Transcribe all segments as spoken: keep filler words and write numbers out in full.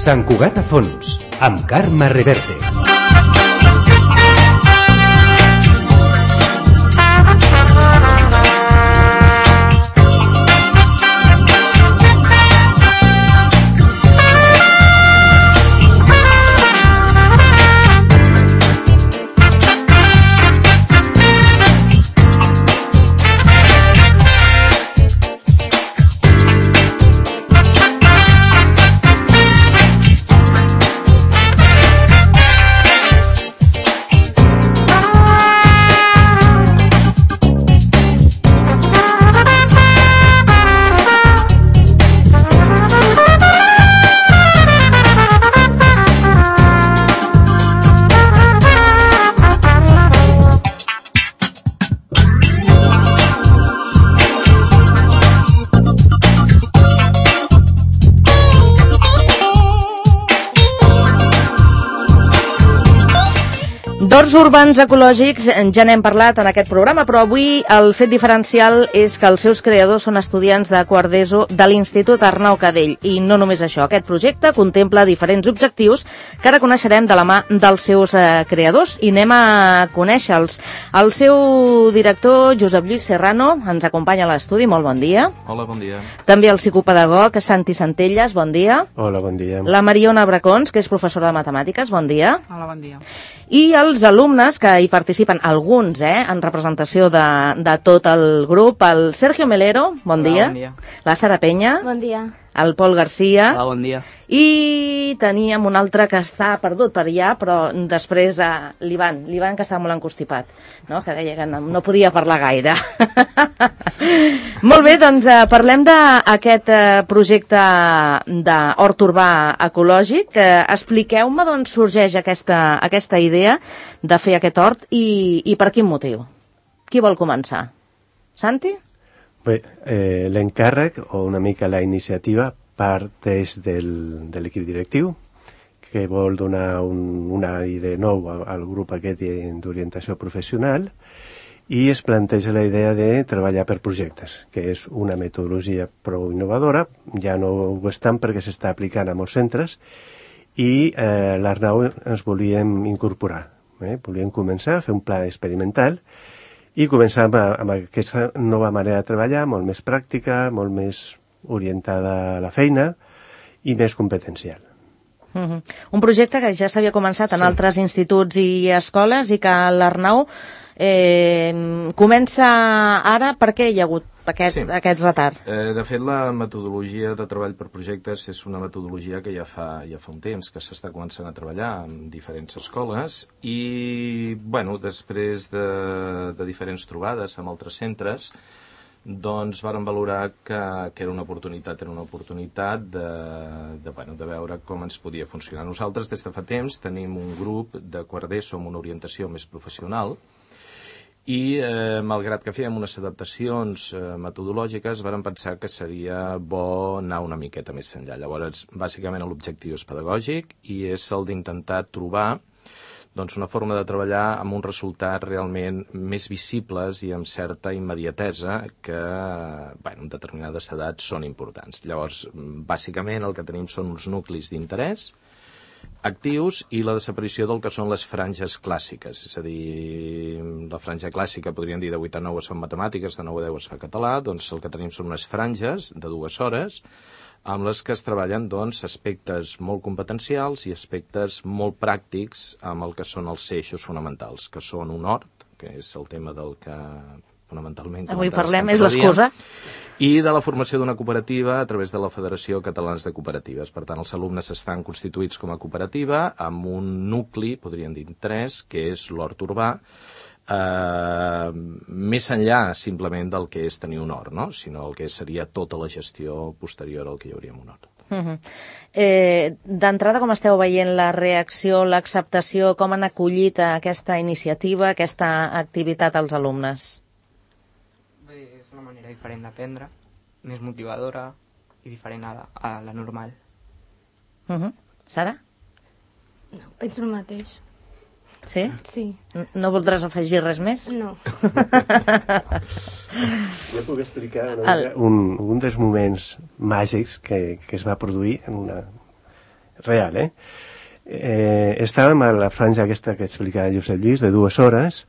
Sant Cugat a fons, amb Carme Reverte. D'horts urbans ecològics ja n'hem parlat en aquest programa, però avui el fet diferencial és que els seus creadors són estudiants de quart d'ESO de l'Institut Arnau Cadell. I no només això, aquest projecte contempla diferents objectius que ara coneixerem de la mà dels seus eh, creadors i anem a conèixer-los. El seu director, Josep Lluís Serrano, ens acompanya a l'estudi. Molt bon dia. Hola, bon dia. També el psicopedagog, Santi Centelles, bon dia. Hola, bon dia. La Mariona Bracons, que és professora de matemàtiques, bon dia. Hola, bon dia. I els alumnes que hi participen, alguns, eh, en representació de, de tot el grup, el Sergio Melero, bon Hola, dia. bon dia. La Sara Penya. Bon dia. El Pol Garcia. Hola, bon dia. I teníem un altre que està perdut per allà, però després eh, l'Ivan, l'Ivan que estava molt encostipat, no? Que deia que no, no podia parlar gaire. Molt bé, doncs eh, parlem d'aquest eh, projecte d'hort urbà ecològic. Eh, Expliqueu-me d'on sorgeix aquesta, aquesta idea de fer aquest hort i, i per quin motiu. Qui vol començar? Santi? Bé, eh, l'encàrrec o una mica la iniciativa parteix del, de l'equip directiu, que vol donar un, un aire nou al, al grup aquest d'orientació professional, i es planteja la idea de treballar per projectes, que és una metodologia prou innovadora, ja no ho és tant perquè s'està aplicant a molts centres, i eh, l'Arnau ens volíem incorporar. Eh? Volíem començar a fer un pla experimental i començar amb, amb aquesta nova manera de treballar, molt més pràctica, molt més orientada a la feina i més competencial. Uh-huh. Un projecte que ja s'havia començat en sí. altres instituts i escoles i que l'Arnau eh, comença ara. Per què hi ha hagut aquest, sí. aquest retard? Eh, de fet, la metodologia de treball per projectes és una metodologia que ja fa, ja fa un temps que s'està començant a treballar en diferents escoles i, bueno, després de, de diferents trobades amb altres centres, doncs vàrem valorar que, que era una oportunitat, era una oportunitat de, de, bueno, de veure com ens podia funcionar. Nosaltres, des de fa temps, tenim un grup de quart d'ESO amb una orientació més professional i, eh, malgrat que fèiem unes adaptacions eh, metodològiques, vàrem pensar que seria bo anar una miqueta més enllà. Llavors, bàsicament, l'objectiu és pedagògic i és el d'intentar trobar doncs, una forma de treballar amb uns resultats realment més visibles i amb certa immediatesa que, bueno, en determinades edats són importants. Llavors, bàsicament, el que tenim són uns nuclis d'interès actius i la desaparició del que són les franges clàssiques. És a dir, la franja clàssica, podríem dir, de vuit a nou es fa matemàtiques, de nou a deu es fa català, doncs el que tenim són unes franges de dues hores amb les que es treballen doncs, aspectes molt competencials i aspectes molt pràctics amb el que són els eixos fonamentals, que són un hort, que és el tema del que fonamentalment... Avui parlem, és l'excusa. I de la formació d'una cooperativa a través de la Federació Catalana de Cooperatives. Per tant, els alumnes estan constituïts com a cooperativa amb un nucli, podríem dir tres, que és l'hort urbà, Uh, més enllà simplement del que és tenir un hort, no? Sinó el que seria tota la gestió posterior al que hi hauria un hort. Uh-huh. eh, D'entrada, com esteu veient la reacció, l'acceptació, com han acollit aquesta iniciativa, aquesta activitat als alumnes? Bé, és una manera diferent d'aprendre, més motivadora i diferent a la, a la normal. Uh-huh. Sara? No, penso el mateix. Sí? Sí. No voldràs afegir res més? No. Jo puc explicar una, El... un, un dels moments màgics que, que es va produir en una, real, eh? eh? Estàvem a la franja aquesta que explicava Josep Lluís, de dues hores,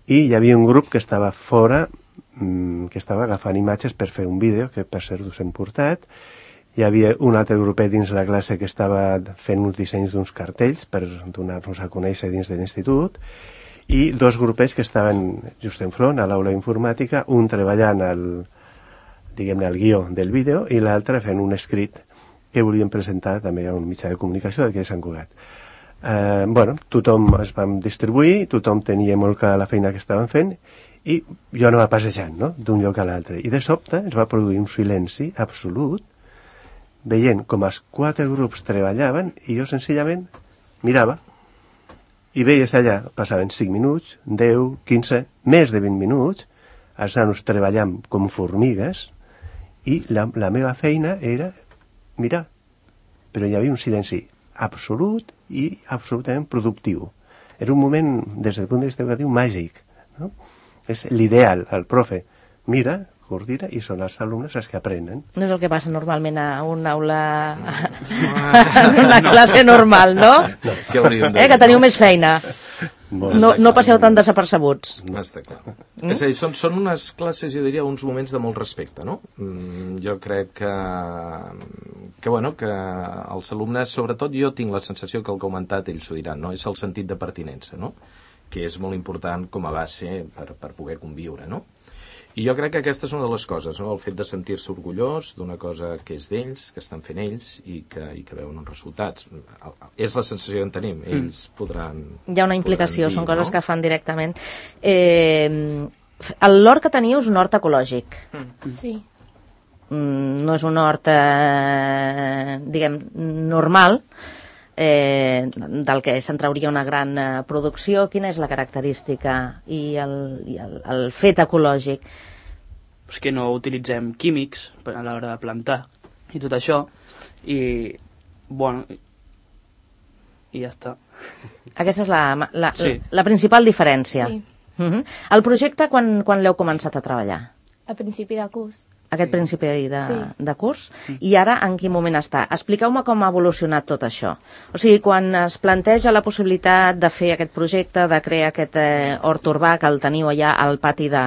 i hi havia un grup que estava fora, mmm, que estava agafant imatges per fer un vídeo, que per cert us hem portat. Hi havia un altre grupet dins la classe que estava fent uns dissenys d'uns cartells per donar-nos a conèixer dins de l'institut, i dos grupets que estaven just enfront, a l'aula informàtica, un treballant al, diguem-ne, al guió del vídeo i l'altre fent un escrit que volien presentar també a un mitjà de comunicació d'aquí de Sant Cugat. Eh, bueno, tothom es vam distribuir, tothom tenia molt clar la feina que estaven fent i jo anava passejant, no?, d'un lloc a l'altre. I de sobte es va produir un silenci absolut, veient com els quatre grups treballaven i jo senzillament mirava i veies allà, passaven cinc minuts, deu, quinze, més de vint minuts, els nanos treballant com formigues i la, la meva feina era mirar, però hi havia un silenci absolut i absolutament productiu. Era un moment, des del punt de vista educatiu, màgic, no? És l'ideal, el profe mira, coordina i són els alumnes els que aprenen. No és el que passa normalment a una aula, en una classe normal, no? No, què hauríem de dir, eh, que teniu no? més feina. No, no passeu tan desapercebuts. Està clar. Mm? És a dir, són, són unes classes, jo diria, uns moments de molt respecte, no? Mm, jo crec que, que, bueno, que els alumnes, sobretot jo tinc la sensació que el que ha comentat ells ho diran, no? És el sentit de pertinença, no? Que és molt important com a base per, per poder conviure, no? I jo crec que aquesta és una de les coses, no? El fet de sentir-se orgullós d'una cosa que és d'ells, que estan fent ells i que, i que veuen uns resultats. És la sensació que en tenim, ells podran... Hi ha una implicació, dir, són coses no? que fan directament. Eh, el l'hort que teniu és un hort ecològic. Sí. Mm, no és un hort, eh, diguem, normal, eh, del que se'n trauria una gran eh, producció. Quina és la característica i el, i el, el fet ecològic? És que no utilitzem químics a l'hora de plantar i tot això, i bueno, i ja està. Aquesta és la, la, Sí. la, la principal diferència. Sí. Uh-huh. El projecte, quan, quan l'heu començat a treballar? A principi de curs. Aquest Sí. principi de, Sí. de curs, i ara en quin moment està? Expliqueu-me com ha evolucionat tot això. O sigui, quan es planteja la possibilitat de fer aquest projecte, de crear aquest eh, hort urbà que el teniu allà al pati de,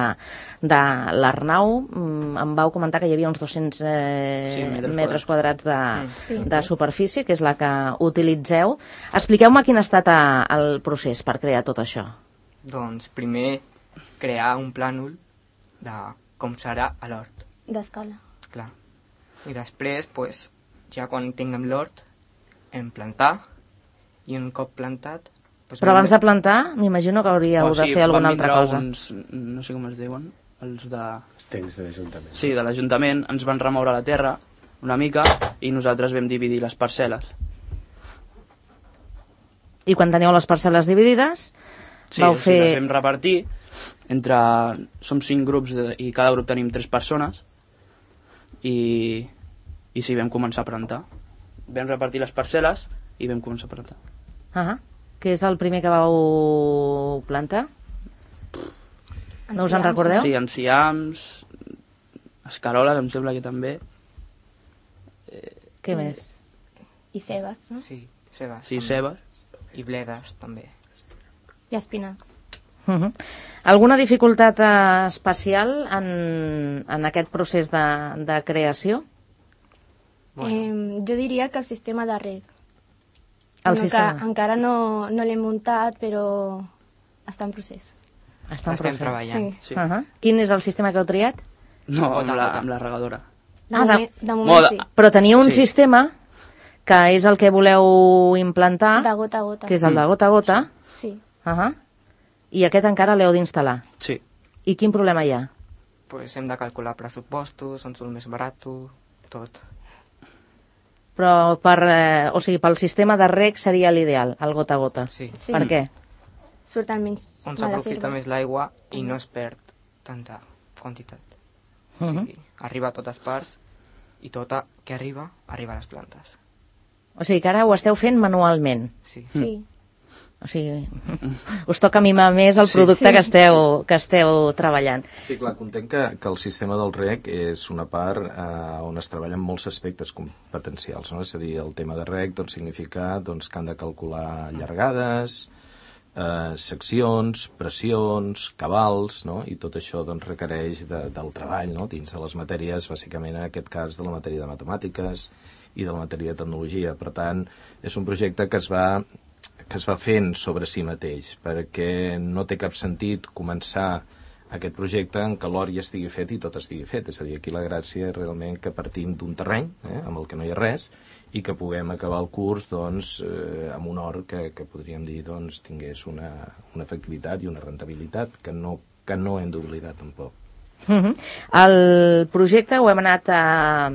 de l'Arnau, mm, em vau comentar que hi havia uns dos-cents eh, Sí, metres metres quadrats de, Sí. de superfície, que és la que utilitzeu. Expliqueu-me quin ha estat eh, el procés per crear tot això. Doncs primer crear un plànol de com serà a l'hort. D'escala. Clar. I després, pues, ja quan tinguem l'hort, hem plantar, i un cop plantat... Pues, Però abans de plantar, m'imagino que hauríeu O de sigui, fer alguna van altra vindre cosa. Uns, no sé com es diuen, els de... Els tècnics de l'Ajuntament. Sí, de l'Ajuntament, ens van remoure la terra una mica i nosaltres vam dividir les parcel·les. I quan teniu les parcel·les dividides, Sí, vau o sigui, les fer... vam repartir entre... Som cinc grups de, i cada grup tenim tres persones i, i sí, vam començar a plantar. Vam repartir les parcel·les i vam començar a plantar. Ah, què és el primer que vau plantar? No us en recordeu? Sí, enciams, escaroles, em sembla que també. Què més? I cebes, no? Sí, cebes. Sí, també. cebes. I bledes, també. I espinacs. Uh -huh. Alguna dificultat eh, especial en, en aquest procés de, de creació? Bueno. Eh, jo diria que el sistema de reg. El Bueno, sistema. Que encara no, no l'hem muntat, però està en procés. Està en Estem procés. treballant. Sí. Sí. Uh -huh. Quin és el sistema que heu triat? No, amb Gota, la, gota. amb la regadora. De, Ah, de- moment, de moment Moda. sí. Però teniu un Sí. sistema que és el que voleu implantar, De gota a gota. que és el de gota a gota, Sí. uh -huh. I aquest encara l'heu d'instal·lar. Sí. I quin problema hi ha? Pues hem de calcular pressupostos, on surt més barat, tot. Però per, eh, o sigui, pel sistema de reg seria l'ideal, el gota a gota. Sí. Sí. Per què? Surten menys On males s'aprofita herbes. més l'aigua i no es perd tanta quantitat. Uh O -huh. sigui, arriba a totes parts i tota que arriba, arriba a les plantes. O sigui que ara ho esteu fent manualment. Sí. Sí. O sigui, us toca mimar més el Sí, producte sí. que esteu, que esteu treballant. Sí, clar, content que, que el sistema del rec és una part eh, on es treballen molts aspectes competencials, no? És a dir, el tema de rec doncs, significa doncs, que han de calcular llargades, eh, seccions, pressions, cabals, no? I tot això doncs, requereix de, del treball, no? Dins de les matèries, bàsicament en aquest cas de la matèria de matemàtiques i de la matèria de tecnologia. Per tant, és un projecte que es va que es va fent sobre si mateix, perquè no té cap sentit començar aquest projecte en què l'or ja estigui fet i tot estigui fet. És a dir, aquí la gràcia és realment que partim d'un terreny eh, amb el que no hi ha res i que puguem acabar el curs doncs, eh, amb un or que, que podríem dir doncs, tingués una, una efectivitat i una rentabilitat que no, que no hem d'oblidar tampoc. Uh-huh. El projecte ho hem anat uh,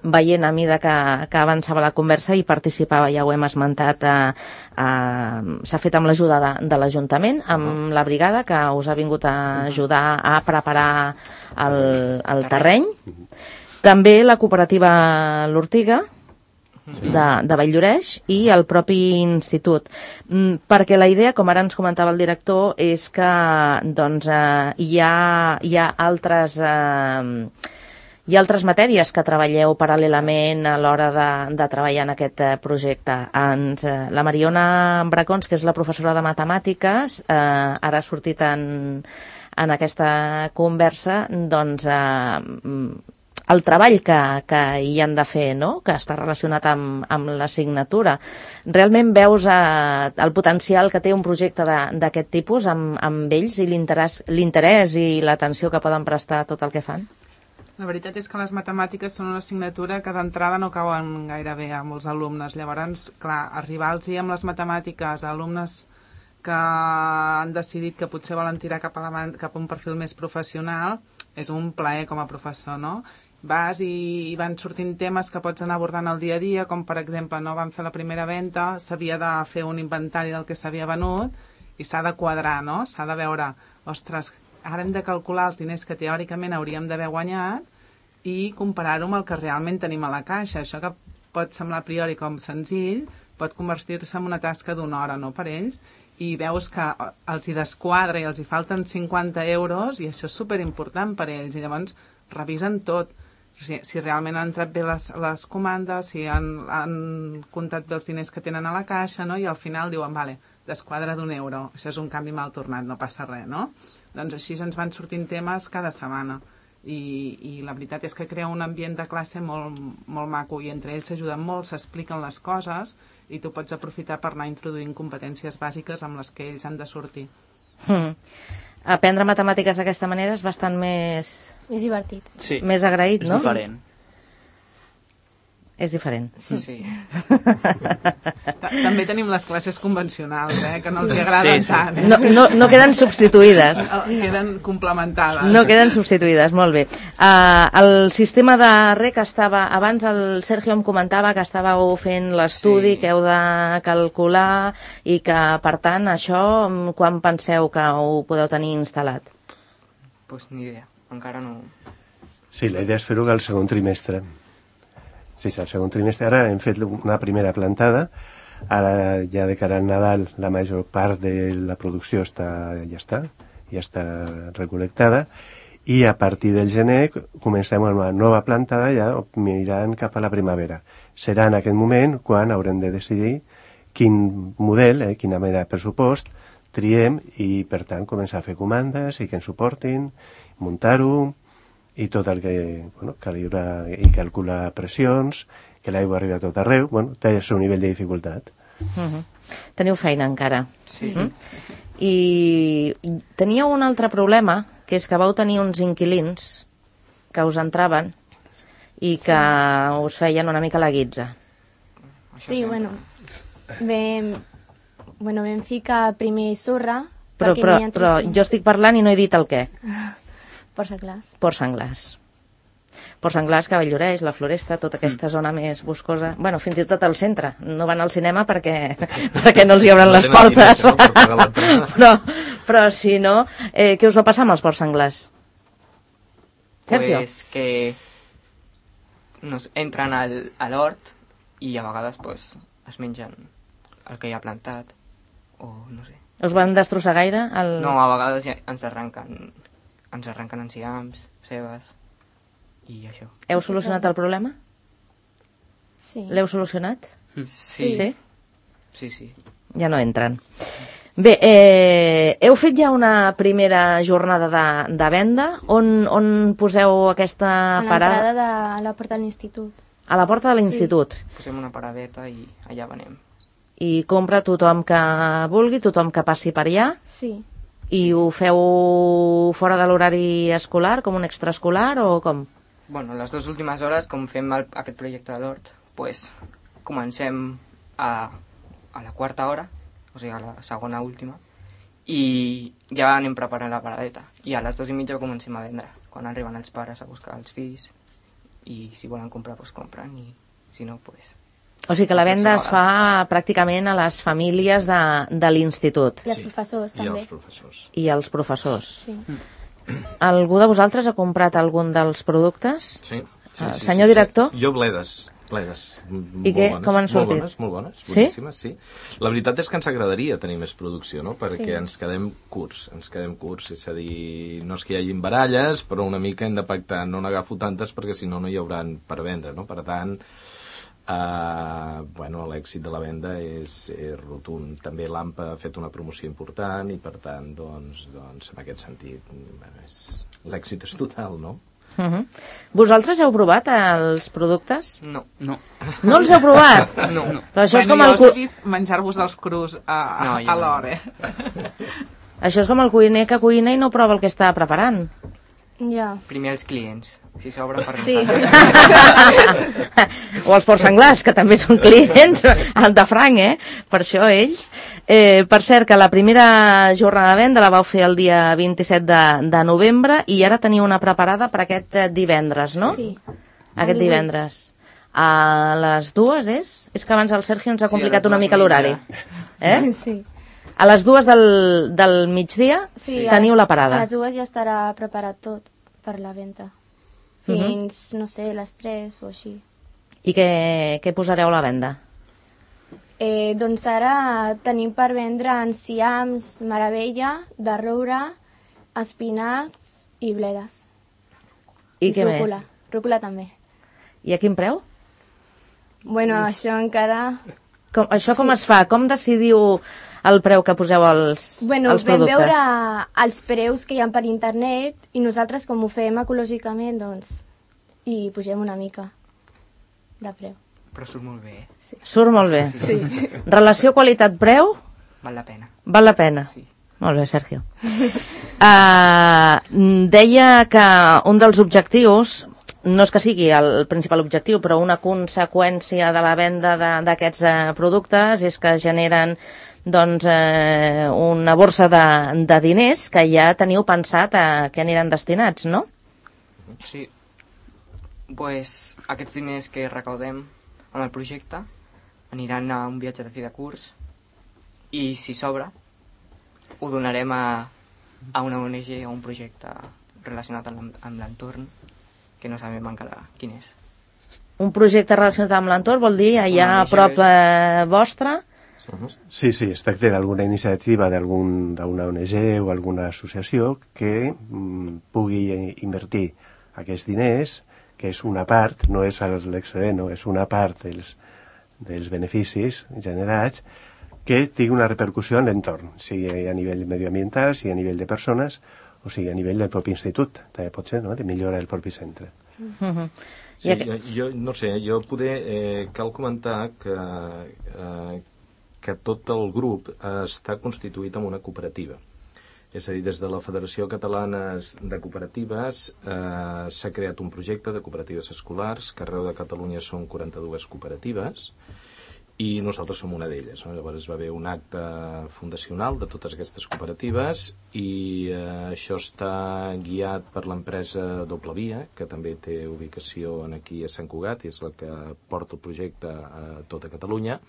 veient a mida que, que avançava la conversa i participava, ja ho hem esmentat, uh, uh, s'ha fet amb l'ajuda de, de l'Ajuntament, amb uh-huh. la brigada que us ha vingut a ajudar a preparar el, el terreny. També la cooperativa L'Ortiga, sí. de, de Valldoreix, i el propi institut. Mm, perquè la idea, com ara ens comentava el director, és que doncs, eh, hi, ha, hi ha altres... Eh, hi ha altres matèries que treballeu paral·lelament a l'hora de, de treballar en aquest eh, projecte. Ens, eh, la Mariona Bracons, que és la professora de matemàtiques, eh, ara ha sortit en, en aquesta conversa, doncs... Eh, el treball que, que hi han de fer, no? Que està relacionat amb, amb l'assignatura. Realment veus eh, el potencial que té un projecte d'aquest tipus amb, amb ells i l'interès i l'atenció que poden prestar a tot el que fan? La veritat és que les matemàtiques són una assignatura que d'entrada no cauen gaire bé a molts alumnes. Llavors, clar, arribar-los amb les matemàtiques a alumnes que han decidit que potser volen tirar cap a, la, cap a un perfil més professional és un plaer com a professor, no? Vas i, i van sortint temes que pots anar abordant el dia a dia, com per exemple, no vam fer la primera venda, s'havia de fer un inventari del que s'havia venut i s'ha de quadrar, no? S'ha de veure, ostres, ara hem de calcular els diners que teòricament hauríem d'haver guanyat i comparar-ho amb el que realment tenim a la caixa. Això que pot semblar a priori com senzill pot convertir-se en una tasca d'una hora, no, per ells, i veus que els hi desquadra i els hi falten cinquanta euros i això és superimportant per ells i llavors revisen tot. Si, si realment han entrat bé les, les comandes, si han, han comptat bé els diners que tenen a la caixa, no? I al final diuen, vale, desquadra d'un euro, això és un canvi mal tornat, no passa res, no? Doncs així ens van sortint temes cada setmana i, i la veritat és que crea un ambient de classe molt, molt maco i entre ells s'ajuden molt, s'expliquen les coses i tu pots aprofitar per anar introduint competències bàsiques amb les que ells han de sortir. Mm. Aprendre matemàtiques d'aquesta manera és bastant més... Més divertit. Sí. Més agraït, és no? És diferent. És diferent. Sí. sí. També tenim les classes convencionals, eh, que no els hi agraden sí, sí. tant. Eh? No, no, no queden substituïdes. Queden complementades. No queden substituïdes, molt bé. Uh, el sistema de rec estava... Abans el Sergio em comentava que estàveu fent l'estudi, sí. que heu de calcular i que, per tant, això, quan penseu que ho podeu tenir instal·lat? Pues ni idea, encara no... Sí, la idea és fer-ho al segon trimestre. Sí, sí, al segon trimestre. Ara hem fet una primera plantada. Ara, ja de cara al Nadal, la major part de la producció està, ja està, ja està recol·lectada. I a partir del gener comencem una nova plantada ja mirant cap a la primavera. Serà en aquest moment quan haurem de decidir quin model, eh, quina mena de pressupost triem i, per tant, començar a fer comandes i que ens suportin, muntar-ho, i tot el que, bueno, calibrar i calcular pressions, que l'aigua arriba a tot arreu, bueno, té el seu nivell de dificultat. Uh-huh. Teniu feina encara. Sí. Uh-huh. I teníeu un altre problema, que és que vau tenir uns inquilins que us entraven i que sí. us feien una mica la guitza. Sí, bueno, vam, bueno, vam ficar primer sorra... Però, però, però jo estic parlant i no he dit el què. Ports senglars. Ports senglars. Ports senglars, que Valldoreix, la Floresta, tota aquesta mm. zona més boscosa. Bueno, fins i tot al centre. No van al cinema perquè, perquè no els hi obren les portes. però, però si no, eh, què us va passar amb els ports senglars? Sergio? Pues que nos entren al, a l'hort i a vegades pues, es mengen el que hi ha plantat. o no sé. Us van destrossar gaire? El... No, a vegades ja ens arrenquen, ens arrenquen enciams, cebes, i això. Heu solucionat el problema? Sí. L'heu solucionat? Sí. Sí? Sí, sí. Ja no entren. Bé, eh, heu fet ja una primera jornada de, de venda? On, on poseu aquesta A parada? l'entrada de la porta de l'institut. A la porta de l'institut. Posem una paradeta i allà venem. I compra tothom que vulgui, tothom que passi per allà? Sí. I ho feu fora de l'horari escolar, com un extraescolar, o com? Bueno, les dues últimes hores, com fem el, aquest projecte de l'hort, pues, comencem a, a la quarta hora, o sigui, a la segona última, i ja anem preparant la paradeta. I a les dues i mitja comencem a vendre, quan arriben els pares a buscar els fills, i si volen comprar, doncs compren, i si no, doncs... O sigui que la venda es fa pràcticament a les famílies de, de l'institut. I els professors, I també. els professors. I els professors. Sí. Algú de vosaltres ha comprat algun dels productes? Sí. sí, Ah, sí senyor sí, director? Sí. Jo bledes. Bledes. M- I molt què? bones, Com han sortit? Molt bones, molt bones. Sí? Boníssimes, sí? La veritat és que ens agradaria tenir més producció, no? Perquè Sí. ens quedem curts, ens quedem curts. És a dir, no és que hi hagin baralles, però una mica hem de pactar. No n'agafo tantes perquè si no no hi hauran per vendre, no? Per tant, Uh, bueno, l'èxit de la venda és, és rotund. També l'AMPA ha fet una promoció important i per tant, doncs, doncs en aquest sentit, bueno, és... l'èxit és total, no? Uh -huh. Vosaltres heu provat els productes? No. No. No els heu provat? No. No. Però això és com bueno, el... jo cu- us he vist menjar-vos els crus a, No, a, jo a no. l'hora, eh? Això és com el cuiner que cuina i no prova el que està preparant. Ja. Primer els clients, si s'obre per Sí. O els porcs senglars, que també són clients, el de franc, eh? Per això ells. Eh, per cert, que la primera jornada de venda la vau fer el dia vint-i-set de, de novembre i ara teniu una preparada per aquest eh, divendres, no? Sí. Aquest El divuit. divendres. A les dues, és? És que abans el Sergio ens ha Sí, a complicat les una dues mica i l'horari. mitja. Eh? Sí. A les dues del, del migdia Sí, teniu a- la parada. A les dues ja estarà preparat tot per la venda. Fins, no sé, les tres o així. I què, què posareu a la venda? Eh, doncs ara tenim per vendre enciams, meravella, de roure, espinacs i bledes. I, què rúcula. més? Rúcula també. I a quin preu? Bueno, això encara... Com, això com es fa? Com decidiu el preu que poseu als, Bueno, als vam productes? veure els preus que hi ha per internet i nosaltres, com ho fem ecològicament, doncs, hi pugem una mica de preu. Però surt molt bé, eh? Surt molt bé. Sí. Relació qualitat-preu Val la pena. val la pena. Sí. Molt bé, Sergio. Uh, deia que un dels objectius, no és que sigui el principal objectiu, però una conseqüència de la venda de- d'aquests uh, productes és que generen doncs, eh, una borsa de, de diners que ja teniu pensat a què aniran destinats, no? Sí. Pues aquests diners que recaudem amb el projecte aniran a un viatge de fi de curs i si sobra ho donarem a, a una O N G o un projecte relacionat amb, l'en- amb l'entorn que no sabem encara quin és. Un projecte relacionat amb l'entorn vol dir allà a prop eh, vostre? Sí, sí, es tracta d'alguna iniciativa d'algun- d'una O N G o alguna associació que mm, pugui invertir aquests diners, que és una part, no és l'excedent, no, és una part dels, dels beneficis generats, que tingui una repercussió en l'entorn, sigui a nivell medioambiental, sigui a nivell de persones, o sigui a nivell del propi institut, també pot ser, no?, de millorar el propi centre. Uh-huh. Sí, jo, jo no sé, jo poder, eh, cal comentar que, eh, que tot el grup eh, està constituït en una cooperativa. És a dir, des de la Federació Catalana de Cooperatives eh, s'ha creat un projecte de cooperatives escolars, que arreu de Catalunya són quaranta-dues cooperatives, i nosaltres som una d'elles, no? Llavors va haver un acte fundacional de totes aquestes cooperatives i eh, això està guiat per l'empresa Doble Via, que també té ubicació aquí a Sant Cugat i és la que porta el projecte a tota Catalunya,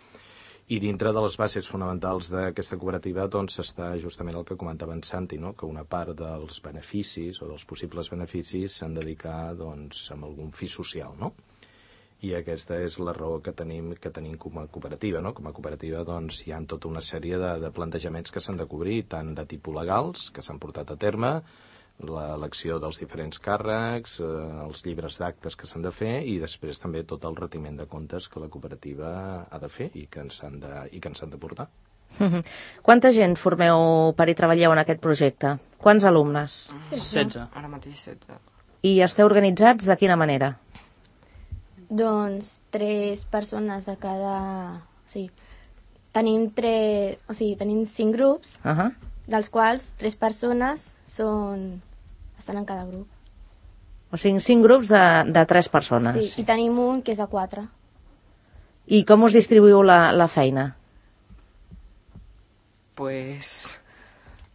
i dintre de les bases fonamentals d'aquesta cooperativa doncs està justament el que comentava en Santi, no? Que una part dels beneficis o dels possibles beneficis s'han de dedicar doncs, amb algun fi social, no? I aquesta és la raó que tenim, que tenim com a cooperativa, no? Com a cooperativa doncs, hi ha tota una sèrie de, de plantejaments que s'han de cobrir, tant de tipus legals, que s'han portat a terme, l'elecció dels diferents càrrecs, eh, els llibres d'actes que s'han de fer i després també tot el retiment de comptes que la cooperativa ha de fer i que ens han de, i que ens han de portar. Quanta gent formeu per i treballeu en aquest projecte? Quants alumnes? setze. Ara mateix setze. I esteu organitzats de quina manera? Doncs tres persones de cada... O sigui, tenim, tres... o sigui, tenim cinc grups, Uh -huh. dels quals tres persones són... estan en cada grup. O sigui, cinc grups de, de tres persones. Sí, i tenim un que és de quatre. I com us distribuïu la, la feina? Pues,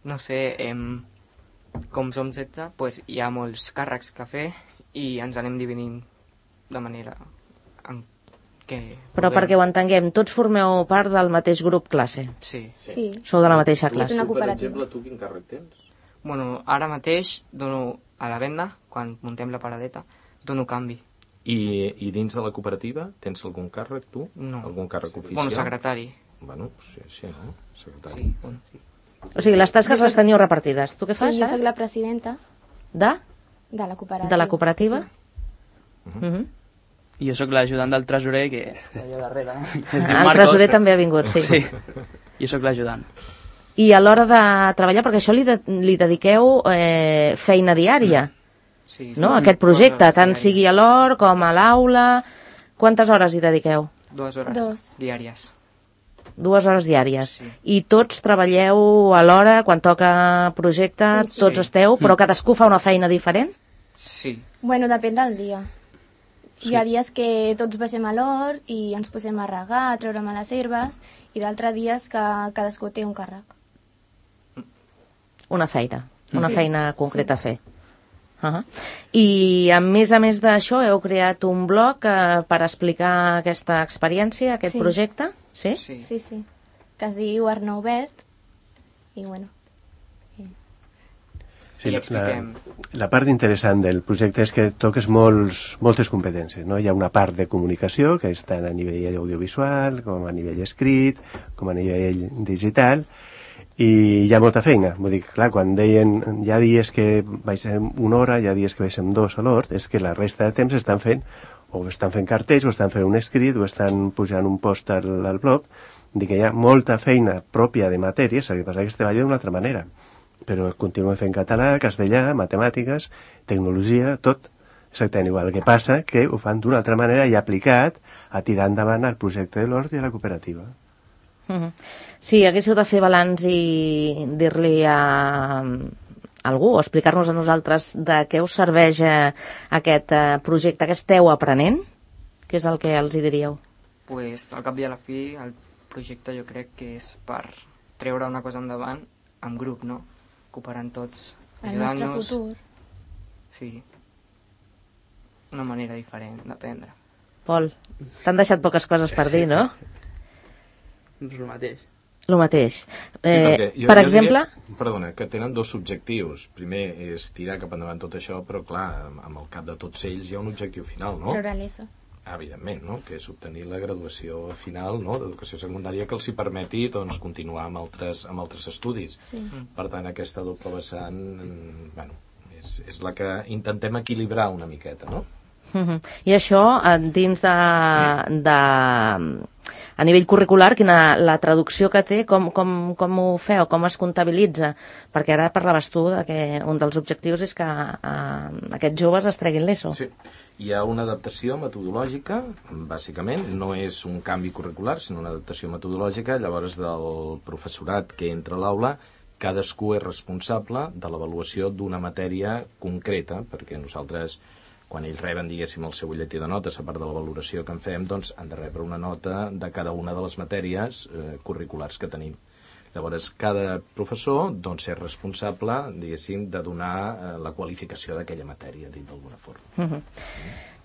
no sé, em, com som setze, pues hi ha molts càrrecs que fer i ens anem dividint de manera en què... Però podem. perquè ho entenguem, tots formeu part del mateix grup classe. Sí. Sí. Sou de la mateixa És classe. una Tu, per cooperativa. exemple, tu quin càrrec tens? Bueno, ara mateix dono a la venda, quan muntem la paradeta, dono canvi. I, I dins de la cooperativa tens algun càrrec, tu? No. Algun càrrec oficial? Bueno, secretari. Bueno, sí, sí, no? Secretari. Sí, bueno, sí. O sigui, les tasques les teniu repartides. Tu què fas, Sí, jo ara? soc la presidenta De? de la cooperativa. De la cooperativa? Sí. Uh -huh. I jo sóc l'ajudant del tresorer, que està allà darrere. El tresorer també ha vingut, sí. Sí, jo sóc l'ajudant. I a l'hora de treballar, perquè això li, de, li dediqueu eh, feina diària, Sí, no? sí. Aquest projecte, Dues hores tant diàries. sigui a l'hort com a l'aula. Quantes hores hi dediqueu? Dues hores Dos. diàries. Dues hores diàries. Sí. I tots treballeu a l'hora, quan toca projecte, Sí, sí. tots esteu, però cadascú fa una feina diferent? Sí. Bueno, depèn del dia. Sí. Hi ha dies que tots baixem a l'hort i ens posem a regar, a treure les herbes, i d'altres dies que cadascú té un càrrec. Una feina, una Sí. feina concreta a fer. Uh -huh. I a més a més d'això heu creat un blog eh, per explicar aquesta experiència, aquest Sí. projecte? Sí? Sí. Sí, sí. Que es diu Arnau Verd. I bueno, Sí, I la, expliquem. la part interessant del projecte és que toques molts, moltes competències, no? Hi ha una part de comunicació, que és tant a nivell audiovisual, com a nivell escrit, com a nivell digital, i hi ha molta feina. Vull dir que, clar, quan deien hi ha dies que baixem una hora, hi ha dies que baixem dos a l'hort, és que la resta de temps estan fent, o estan fent cartells, o estan fent un escrit, o estan pujant un post al, al blog. Dic que hi ha molta feina pròpia de matèries, el que passa que es treballa d'una altra manera. Però continuem fent català, castellà, matemàtiques, tecnologia, tot exactament igual. El que passa que ho fan d'una altra manera i aplicat a tirar endavant el projecte de l'hort i a la cooperativa. Uh -huh. Si haguéssiu de fer balanç i dir-li a algú o explicar-nos a nosaltres de què us serveix eh, aquest eh, projecte que esteu aprenent, què és el que els hi diríeu? Pues, al cap i a la fi, el projecte jo crec que és per treure una cosa endavant en grup, no? Cooperant tots, el nostre ajudant-nos. futur. Sí. Una manera diferent d'aprendre. Pol, t'han deixat poques coses per dir, no? És el mateix. El mateix. Sí, Eh, perquè jo, per jo exemple... Diria, perdona, que tenen dos objectius. Primer és tirar cap endavant tot això, però clar, amb- amb el cap de tots ells hi ha un objectiu final, no? Treure l'E S O. Evidentment, no? Que és obtenir la graduació final, no?, d'educació secundària que els hi permeti doncs, continuar amb altres, amb altres estudis. Sí. Per tant, aquesta doble vessant, mm, bueno, és, és la que intentem equilibrar una miqueta, no? Uh -huh. I això, eh, dins de, de... A nivell curricular, quina, la traducció que té, com, com, com ho feu, com es comptabilitza? Perquè ara parlaves tu de que un dels objectius és que eh, aquests joves es treguin l'E S O. Sí. Hi ha una adaptació metodològica, bàsicament, no és un canvi curricular, sinó una adaptació metodològica, llavors del professorat que entra a l'aula, cadascú és responsable de l'avaluació d'una matèria concreta, perquè nosaltres, quan ells reben, diguéssim, el seu butlletí de notes, a part de la valoració que en fem, doncs han de rebre una nota de cada una de les matèries eh, curriculars que tenim. Llavors, cada professor doncs, és responsable, diguéssim, de donar eh, la qualificació d'aquella matèria, dit d'alguna forma. Uh -huh.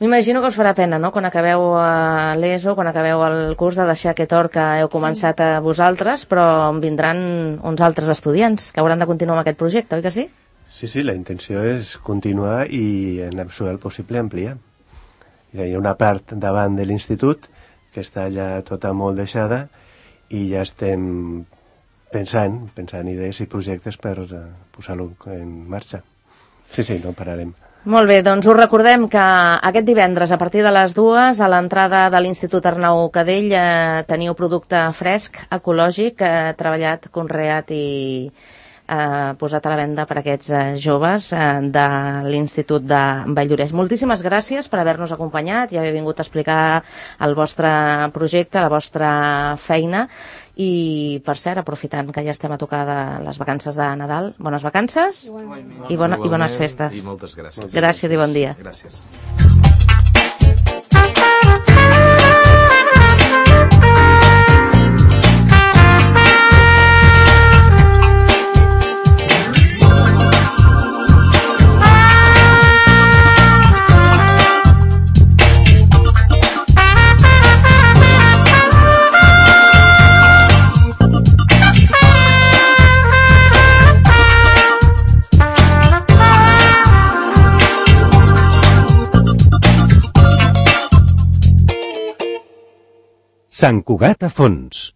M'imagino que us farà pena, no?, quan acabeu a l'E S O, quan acabeu el curs, de deixar aquest hort que heu començat sí. a vosaltres, però en vindran uns altres estudiants que hauran de continuar amb aquest projecte, oi que sí? Sí, sí, la intenció és continuar i en absolut el possible ampliar. Hi ha una part davant de l'institut que està ja tota molt deixada i ja estem pensant, pensant idees i projectes per uh, posar-lo en marxa. Sí, sí, no pararem. Molt bé, doncs us recordem que aquest divendres a partir de les dues a l'entrada de l'Institut Arnau Cadell eh, teniu producte fresc, ecològic, eh, treballat, conreat i eh, posat a la venda per aquests eh, joves eh, de l'Institut de Valldoreix. Moltíssimes gràcies per haver-nos acompanyat i haver vingut a explicar el vostre projecte, la vostra feina. I, per cert, aprofitant que ja estem a tocar de les vacances de Nadal, bones vacances i, bona, i bones festes. I moltes gràcies. Gràcies i bon dia. Gràcies. Sant Cugat a fons.